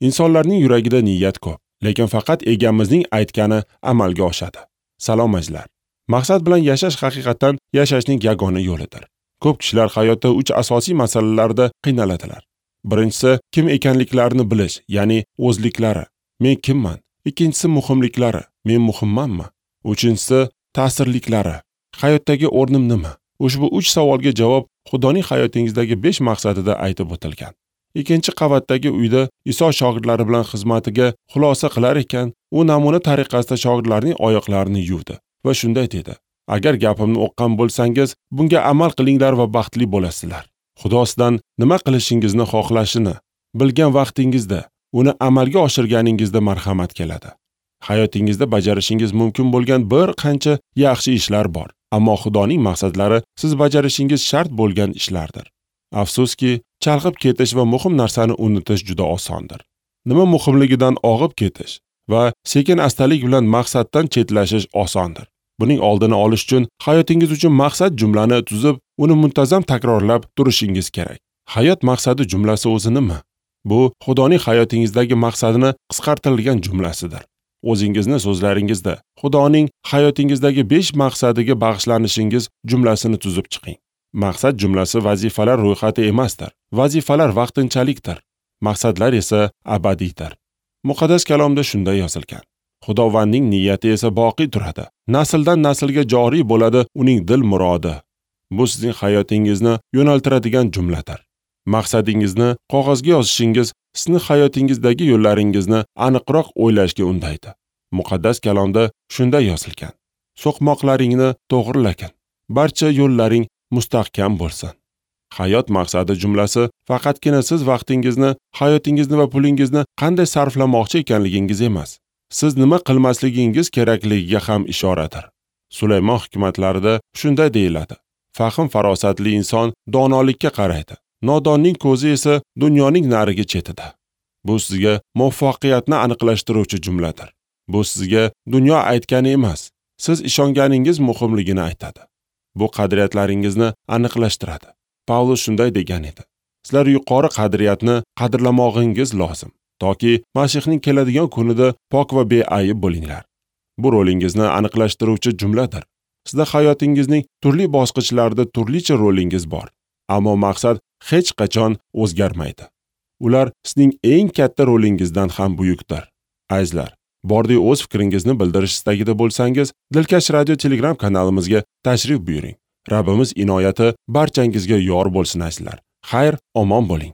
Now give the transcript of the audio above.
Insonlarning yuragida niyat ko'p, lekin faqat egamizning aytgani amalga oshadi. Salom azizlar. Maqsad bilan yashash haqiqatan yashashning yagona yo'lidir. Ko'p kishilar hayotda 3 asosiy masalalarda qiynaladilar. Birinchisi, kim ekanliklarini bilish, ya'ni o'zliklari. Men kimman? Ikkinchisi, muhimliklari. Men muhimmanmi? Uchinchisi, ta'sirliklari. Hayotdagi o'rnim nima? Ushbu 3 savolga javob Xudoning hayotingizdagi 5 maqsadida aytib o'tilgan. Ikkinchi qavatdagi uyda Iso shogirdlari bilan xizmatiga xulosa qilar ekan, u namuna tariqasida shogirdlarning oyoqlarini yuvdi va shunday dedi: Agar gapimni o'qqan bo'lsangiz, bunga amal qilinglar va baxtli bo'lasizlar. Xudo sizdan nima qilishingizni xohlashini bilgan vaqtingizda, uni amalga oshirganingizda marhamat keladi. Hayotingizda bajarishingiz mumkin bo'lgan bir qancha yaxshi ishlar bor, ammo Xudoning maqsadlari siz bajarishingiz shart bo'lgan ishlardir. Afsuski, chalg'ib ketish va muhim narsani unutish juda osondir. Nima muhimligidan og'ib ketish va sekin astalik bilan maqsaddan chetlashish osondir. Buning oldini olish uchun hayotingiz uchun maqsad jumlani tuzib, uni muntazam takrorlab turishingiz kerak. Hayot maqsadi jumlasi o'zi nima? Bu Xudoning hayotingizdagi maqsadini qisqartirilgan jumlasidir. O'zingizni so'zlaringizda Xudoning hayotingizdagi 5 maqsadiga bag'ishlanishingiz jumlasini tuzib chiqing. Maqsad jumlasi vazifalar ro'yxati emasdir. Vazifalar vaqtinchalikdir. Maqsadlar esa abadiydir. Muqaddas kalomda shunday yozilgan: Xudovandning niyati esa boqiy turadi. Nasldan naslga joriy bo'ladi uning dil murodi. Bu sizning hayotingizni yo'naltiradigan jumladir. Maqsadingizni qog'ozga yozishingiz sizni hayotingizdagi yo'llaringizni aniqroq o'ylashga undaydi. Muqaddas kalomda shunday yozilgan: So'qmoqlaringni to'g'rilagin, barcha yo'llaring mustahkam bo'lsin. Hayot maqsadi jumlasi faqatgina siz vaqtingizni, hayotingizni va pulingizni qanday sarflamoqchi ekanligingiz emas. Siz nima qilmasligingiz kerakligiga ham ishoradir. Sulaymon hikmatlarida shunday deyiladi: Fahm farosatli inson donolikka qaraydi. Nodonning ko'zi esa dunyoning narigi chetida. Bu sizga muvaffaqiyatni aniqlashtiruvchi jumladir. Bu sizga dunyo aytgani emas, siz ishonganingiz muhimligini aytadi. Bu qadriyatlaringizni aniqlashtiradi. Pavlus shunday degan edi: Sizlar yuqori qadriyatni qadrlamog'ingiz lozim, toki Masihning keladigan kunida pok va beayb bo'linglar. Bu rolingizni aniqlashtiruvchi jumladir. Sizda hayotingizning turli bosqichlarida turlicha rolingiz bor, ammo maqsad hech qachon o'zgarmaydi. Ular sizning eng katta rolingizdan ham buyukdir. Azizlar, bordi o'z fikringizni bildirish istagida bo'lsangiz, Dilkash Radio Telegram kanalimizga tashrif buyuring. Rabbimiz inoyati barchangizga yor bo'lsin azizlar. Xayr, omon bo'ling.